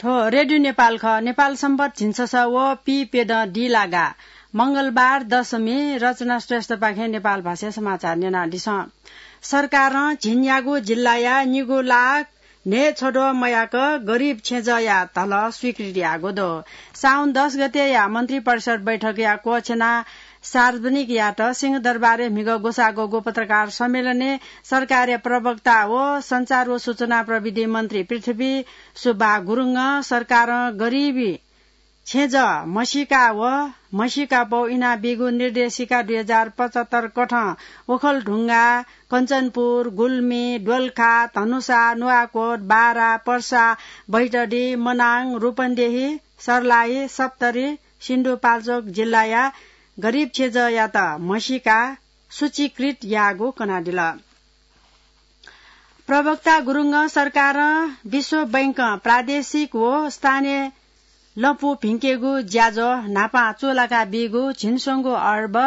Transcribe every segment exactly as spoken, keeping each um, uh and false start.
थ्व रेडियो नेपाल खः। नेपाल सम्बत झिंछसः व पीप्यदँ दिलागा मंगलबार दशमी। रचना श्रेष्ठपाखें नेपाल भाषाय् समाचार न्यनादिसँ। सरकारं झिंन्यागू जिल्लाया निगू लाख न्हय् छ्वद्वः मयाक गरिब छेँजःया धलः स्वीकृति याःगु दु। साउन दस गतेया मन्त्रिपरिषद बैठकया क्वःछेना सार्वजनिक यात। सिंहदरबारय् म्हिगः ग्वसाः ग्वःगु पत्रकार सम्मेलनय् सरकारया प्रवक्ता व सञ्चार व सूचना प्रविधि मन्त्री पृथ्वी सुब्बा गुरुङं सरकारं गरिबी छेँजः म्हसीका व म्हसीकापौ इनाबीगु निर्देशिका दुई हजार पचहत्तर कथं ओखलढुङ्गा, कञ्चनपुर, गुल्मी, दोलखा, धनुषा, नुवाकोट, बारा, पर्सा, बैतडी, मनाङ, रूपन्देही, सर्लाही, सप्तरी, सिन्धुपाल्चोक जिल्लाया गरिब छेँजःयात म्हसीका सूचीकृत याःगु कनादिल। प्रवक्ता गुरुङं सरकारं विश्व बैंकं प्रादेशिक व स्थानीय लँपु भिंकेगु ज्याझ्वः न्हापां चूलाका बीगु झिंस्वंगू अर्ब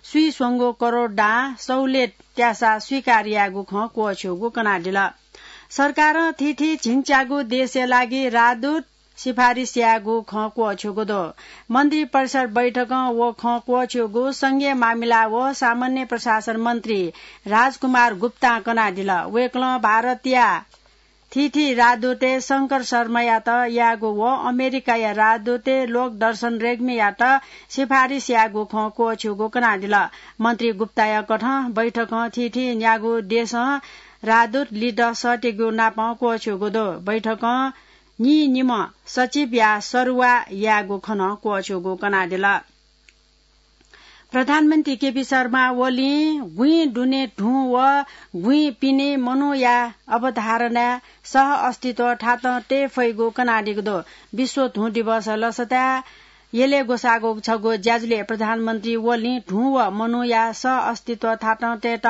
स्वीस्वंगू करोड दां सहुलियत त्यासा स्वीकार याःगु खँ क्वःछ्यूगु कनादिल। सरकारं थीथी झिंच्यागू देशया लागि राजदूत सिफारिस याःगु खँ क्वःछ्यूगु दु। मन्त्रिपरिषद बैठकं व खँ क्वःछ्यूगु संघीय मामिला व सामान्य प्रशासन मन्त्री राजकुमार गुप्तां कनादिल। वय्कलं भारतया थीथी राजदूतय् शंकर शर्मायात याःगु व अमेरिकाया राजदूतय् लोकदर्शन रेग्मीयात सिफारिस याःगु खँ क्वःछ्यूगु कनादिल। मन्त्री गुप्ताया कथं बैठकं थीथी न्यागू देशं राजदूत लित सःतेगु नापं क्वःछ्यूगु दु। बैठकं नीनिम्ह सचिवया सरुवा यायेगु खँ नं क्वःछ्यूगु कनादिल। प्रधानमन्त्री केपी शर्मा ओलीं गुँइ दुने धुँ व गुँइ पिने मनूया अवधारणाय् सह अस्तित्व थातं तये फइगु कनादीगु दु। विश्व धुँ दिवस लसताय् यलय् ग्वसाःगु छगू ज्याझ्वलय् प्रधानमन्त्री ओलीं धुँ व मनूया सह अस्तित्व थातं तयेत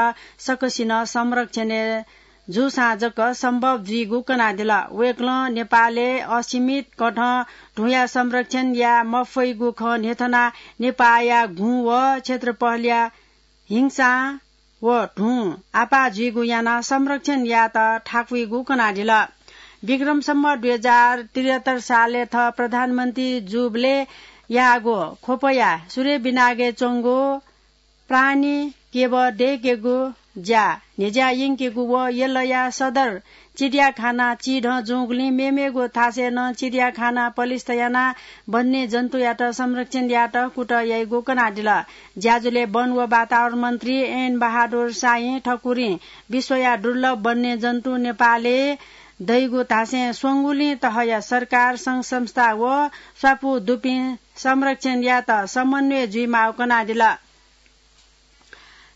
सकसिनं संरक्षणय् जूसां जक सम्भव जुइगु कनादिल। वय्कलं नेपालय् असीमित कथं धुँया संरक्षण याये मफइगु खँ न्ह्यथनाः नेपाःया गुँ व क्षेत्रफलया हिंसां व धुँ आपाः जुइगु यानाः संरक्षण यायेत थाकुइगु कनादिल। विक्रम सम्वत दुई हजार त्रिहत्तर सालय् थः प्रधानमन्त्री जूबलय् याःगु ख्वपया सूर्यबिनागय् च्वंगु प्राणी केब दय्केगु ज्या न्ह्यज्या यंकेगु व यलया सदर चिडियाखाना चिधं जूगुलिं मेमेगु थासय् नं चिडियाखाना पलिस्था यानाः वन्यजन्तुयात संरक्षण यायेत कुतः याइगु कनादिल। ज्याझ्वलय् वन व वातावरण मन्त्री एन बहादुर शाहीं थकुरिं विश्वया दुर्लभ वन्यजन्तु नेपालय् दइगु धासें स्वंगुलिं तहया सरकार, संघ संस्था व स्वापू दुपिं संरक्षण यायेत समन्वय जुइमाःगु कनादिल।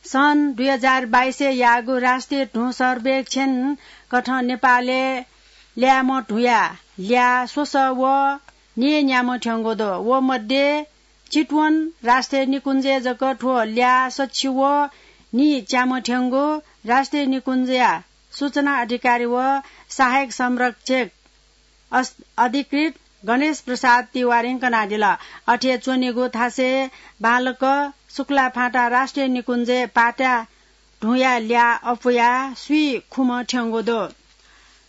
सन् दुई हजार बाइसय् याःगु राष्ट्रिय धुँ सर्वेक्षण कथं नेपालय् ल्याय्म्ह धुँया ल्याः स्वसः व नीन्याम्ह थ्यंगु दु। व मध्ये चितवन राष्ट्रिय निकुञ्जय् जक थ्व ल्याः सछि व नीच्याम्ह थ्यंगु राष्ट्रिय निकुञ्जया सूचना अधिकारी व सहायक संरक्षक अस-, अधिकृत गणेश प्रसाद तिवारीं कनादिल। अथे च्वनीगु थासय् बांलाक शुक्लाफाँटा राष्ट्रिय निकुञ्जय् पाताया धुँया ल्याः अप्वयाः स्वीखुम्ह थ्यंगु दु।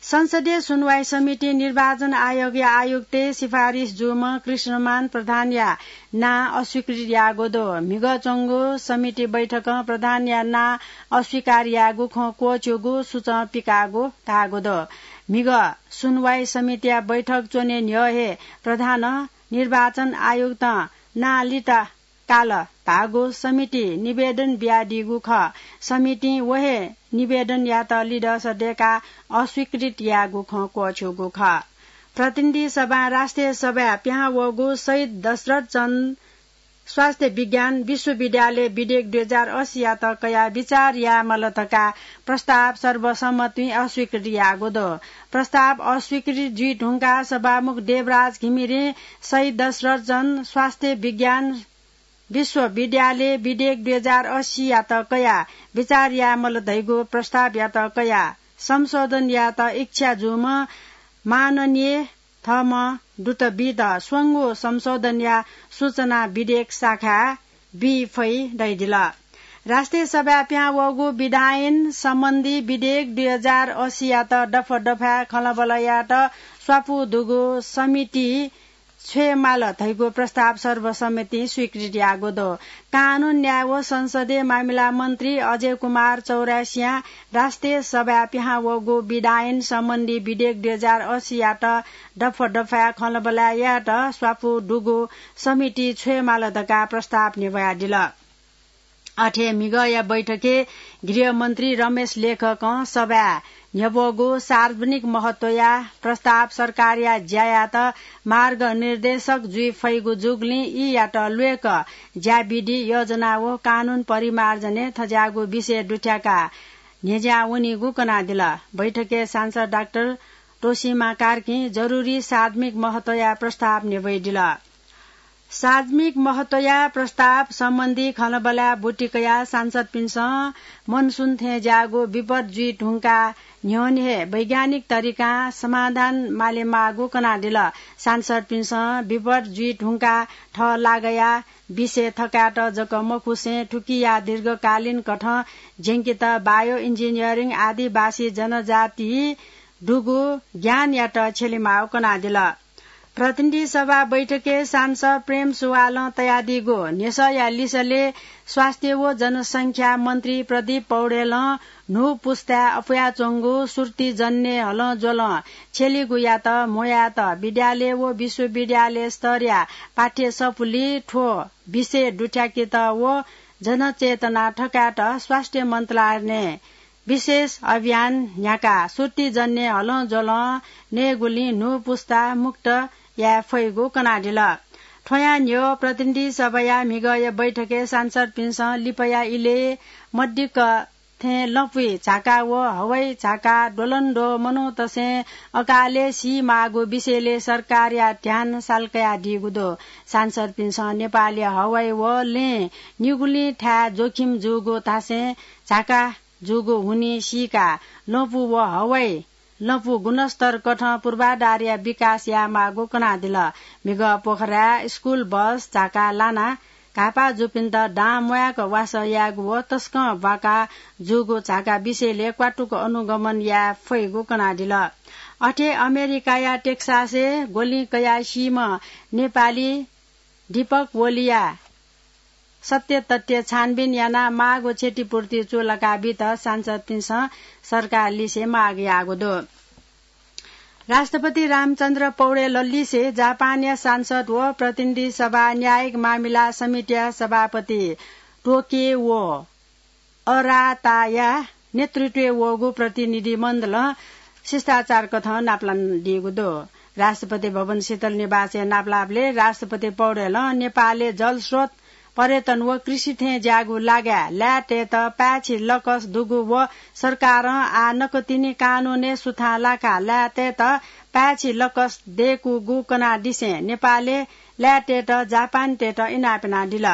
संसदीय सुनवाई समितिं निर्वाचन आयोगया आयुक्तय् सिफारिस जूम्ह कृष्णमान प्रधानया नां अस्वीकृत याःगु दु। म्हिगः च्वंगु समिति बैठकं प्रधानया नां अस्वीकार याःगु खँ क्वःछ्यूगु सूचं पिकाःगु धाःगु दु। म्हिगः सुनवाई समितिया बैठक च्वने न्ह्यः हे प्रधानं निर्वाचन आयुक्तं नां लित काल धाःगु समितिं निवेदन बियादीगु खः। समितिं व हे निवेदनयात लिधंस दय्काः अस्वीकृत याःगु खँ क्वःछ्यूगु खः। प्रतिनिधि सभां राष्ट्रिय सभाय् पिहां वःगु शहीद दशरथ चन्द स्वास्थ्य विज्ञान विश्वविद्यालय विधेयक दुई हजार अस्सीयात कयाः विचार यायेमाल धकाः प्रस्ताव सर्वसम्मतिं अस्वीकृत याःगु दु। प्रस्ताव अस्वीकृत जुइ धुंकाः सभामुख देवराज घिमिरें शहीद दशरथ चन्द स्वास्थ्य विज्ञान विश्वविद्यालय विधेयक दुई हजार अस्सीयात कयाः विचार यायेमाल धइगु प्रस्तावयात कयाः संशोधन यायेत इच्छा जूम्ह माननीय थःम्हं दूतबित स्वंगू संशोधनया सूचना विधेयक शाखाय् बी फइ धयादिल। राष्ट्रिय सभाय् पिहां वःगु विधायन सम्बन्धी विधेयक दुई हजार अस्सीयात दफा दफाय् खँल्हाबल्हा यायेत स्वापू दुगु समिति छ्वये माल धइगु प्रस्ताव सर्वसम्मतिं स्वीकृति याःगु दु। कानून, न्याय व संसदीय मामिला मन्त्री अजय कुमार चौरासियां राष्ट्रिय सभाय् पिहां वःगु विधायन सम्बन्धी विधेयक दुई हजार अस्सीयात दफा दफाय् खँल्हाबल्हा यायेत स्वापू दुगु समिति छ्वये माल धकाः प्रस्ताव न्ह्यब्वयादिल। अथे म्हिगःया बैठकय् गृहमन्त्री रमेश लेखकं सभाय् न्ह्यब्वःगु सार्वजनिक महत्वया प्रस्ताव सरकारया ज्यायात मार्गनिर्देशक जुइ फइगु जूगुलिं यीयात ल्वय्क ज्याविधि, योजना व कानून परिमार्जनय् थज्याःगु विषय दुथ्याकाः न्ह्यज्यां वनीगु कनादिल। बैठकय् सांसद डाक्टर तोसिमा कार्कीं जरुरी सार्वजनिक महत्वया प्रस्ताव न्ह्यब्वयादिल। सार्वजनिक महत्वया प्रस्ताव सम्बन्धी खँल्हाबल्हाय् ब्वति कयाः सांसदपिन्सं मनसुन थें ज्याःगु विपद जुइ धुंकाः न्ह्यःने हे वैज्ञानिक तरिकां समाधान मालेमाःगु कनादिल। सांसदपिन्सं विपद जुइ धुंकाः थः लागाया विषय थकायेत जक मखुसें थुकिया दीर्घकालीन कथं ज्यंकेत bio engineering, आदिवासी जनजाति दुगु ज्ञानयात छ्यलेमाःगु कनादिल। प्रतिनिधि सभा बैठकय् सांसद प्रेम सुवालं तयादीगु न्ह्यसःया लिसलय् स्वास्थ्य व जनसंख्या मन्त्री प्रदीप पौडेलं न्हू पुस्ताय् अपुयाच्वंगु श्रुतिजन्य हलंज्वलं छ्यलीगुयात म्हो यायेत विद्यालय व विश्वविद्यालय स्तरया पाठ्यसफुलिइ थ्व विषय दुथ्याकेत व जनचेतना थकायेत स्वास्थ्य मन्त्रालयं विशेष अभियान न्ह्याकाः श्रुतिजन्य हलंज्वलं नयेगुलिं न्हू पुस्ता मुक्त याये फइगु कनादिल। थ्वयां न्ह्यः प्रतिनिधि सभाया म्हिगःया बैठकय् सांसदपिन्सं लिपाया इलय् मदिक्क थें लँपुइ झाका व हवाई झाका द्वलंद्वः मनूतय्सं अकालय् सीमाःगु विषयलय् सरकारया ध्यान सालकयादीगु दु। सांसदपिन्सं नेपालया हवाई व लँय् निगुलिं थाय् जोखिम जूगु धासें झाका जूगु हुनिं सीकाः लँपु व हवाई लँपु गुणस्तर कथं पूर्वाधारया विकास यायेमाःगु कनादिल। म्हिगः पोखराय् स्कुल बस झाका लानाः घाःपाः जूपिन्त दां म्वायेक वासः यायेगु व तसकं ब्वाका जूगु झाका विषयलय् क्वातुक अनुगमन याये फइगु कनादिल। अथे अमेरिकाया टेक्सासय् ग्वलिं कयाः सीम्ह नेपाली दीपक ओलीया सत्य तथ्य छानबिन यानाः माःगु क्षतिपूर्ति चूलाका बीत सांसदपिन्सं सरकारलिसे माग याःगु दु। राष्ट्रपति रामचन्द्र पौडेललिसे जापानया सांसद व प्रतिनिधि सभा न्यायिक मामिला समितिया सभापति टोकिओ अराताया नेतृत्वय् वःगु प्रतिनिधि मण्डलं शिष्टाचार कथं नापलानादीगु दु। राष्ट्रपति भवन शीतल निवासय् नापलाःबलय् राष्ट्रपति पौडेलं नेपालय् जलस्रोत, पर्यटन व कृषि थें ज्याःगु लागाय् लाय्‌तय्‌त पाय्‌छि लकस दुगु व सरकारं आः नकतिनि कानूनय् सुथां लाकाः लाय्‌तय्‌त पाय्‌छि लकस दय्‌कूगु कनादिसें नेपालय् लाय्‌तय्‌त जापानीतय्‌त इनाप यानादिल।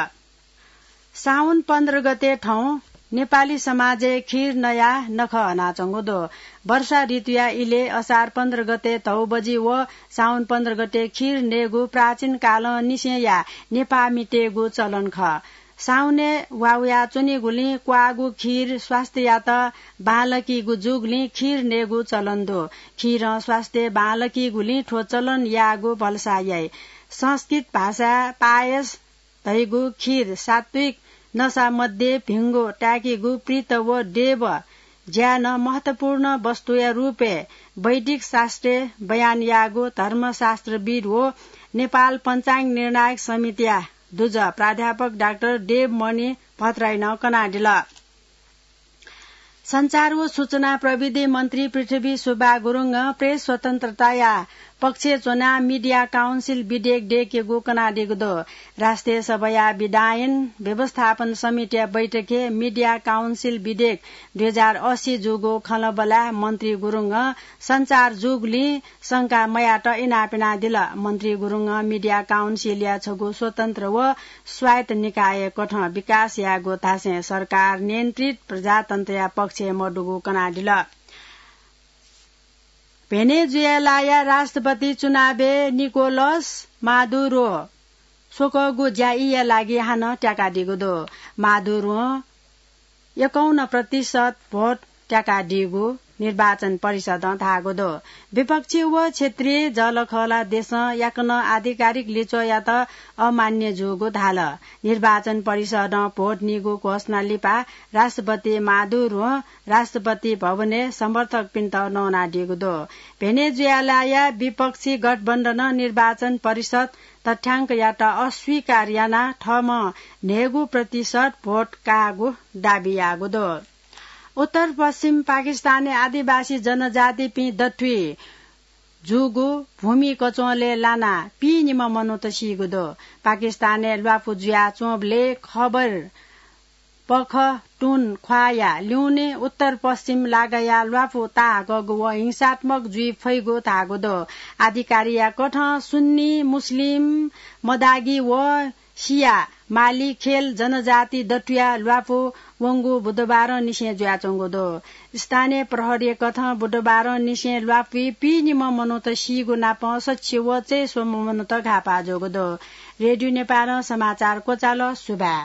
साउन पन्ध्र गते थौं नेपाली समाजय् खीर नयाः नखः हनाच्वंगु दु। वर्षा ऋतुया इलय् असार पन्ध्र गते धौबजि व साउन पन्ध्र गते खीर नयेगु प्राचीन कालंनिसेंया नेपाःमितय्‌गु चलन खः। साउनय् वा वयाच्वनीगुलिं क्वाःगु खीर स्वास्थ्ययात बांलाकीगु जूगुलिं खीर नयेगु चलन दु। खीरं स्वास्थ्य बांलाकीगुलिं थ्व चलन याःगु भलसा याइ। संस्कृत भाषाय् पायस धइगु खीर सात्विक नसा मध्ये भिंगु ताय्‌केगु पित्त व देव ज्यानं महत्वपूर्ण वस्तुया रूपय् वैदिक शास्त्रय् बयान याःगु धर्मशास्त्रविद् व नेपाल पञ्चाङ्ग निर्णायक समितिया दुजः प्राध्यापक डाक्टर देवमणि भट्टराईनं कनादिल। सञ्चार व सूचना प्रविधि मन्त्री पृथ्वी सुब्बा गुरुङं प्रेस स्वतन्त्रताया पक्षय् च्वनाः मिडिया काउन्सिल विधेयक दय्‌केगु कनादीगु दु। राष्ट्रिय सभाया विधायन व्यवस्थापन समितिया बैठकय् मिडिया काउन्सिल विधेयक दुई हजार अस्सी जूगु खँल्हाबल्हाय् मन्त्री गुरुङं सञ्चार जूगुलिं शंका मयायेत इनाप यानादिल। मन्त्री गुरुङं मिडिया काउन्सिलया छगू स्वतन्त्र व स्वायत्त निकाय कथं विकास यायेगु धासें सरकार नियन्त्रित प्रजातन्त्रया पक्षय् मदुगु कनादिल। भेनेजुएलाया राष्ट्रपति चुनावय् निकोलस मादुरो स्वकःगु ज्यायीया लागि हानं त्याकादीगु दु। मादुरों एकाउन्न प्रतिशत भोट त्याकादीगु निर्वाचन परिषदं धाःगु दु। विपक्षी व क्षेत्रीय जःलाखःला देशं याकनं आधिकारिक लिच्वःयात अमान्य जूगु धाल। निर्वाचन परिषदं भोट नीगु घोषणा लिपा राष्ट्रपति मादुरों राष्ट्रपति भवनय् समर्थकपिन्त नवानादीगु दु। भेनेजुएलाया विपक्षी गठबन्धनं निर्वाचन परिषद तथ्याङ्कयात अस्वीकार यानाः थःम्हं न्हय्गू प्रतिशत भोट काःगु दाबी याःगु दु। उत्तर पश्चिम पाकिस्तानय् आदिवासी जनजातिपिं दथुइ जूगु भूमि कचोलय् लानाः पीनिम्ह मनूत सीगु दु। पाकिस्तानय् ल्वापु जुयाच्वंबलय् खबर पखतुन ख्वाःया ल्यूने उत्तर पश्चिम लागाया ल्वापु ताहाकःगु व हिंसात्मक जुइ फइगु धाःगु दु। आधिकारिया कथं सुन्नी, मुस्लिम, मदागी व सिया, माली, खेल जनजाति दथुया ल्वापु वंगु बुधबारंनिसें जुयाच्वंगु दु। स्थानीय प्रहरीया कथं बुधबारंनिसें ल्वापुइ पीनिम्ह मनूत सीगु नापं सच्छि व चय्स्वम्ह मनूत घाःपाः जूगु दु। रेडियो नेपालं समाचार क्वचाल। सुभाय्।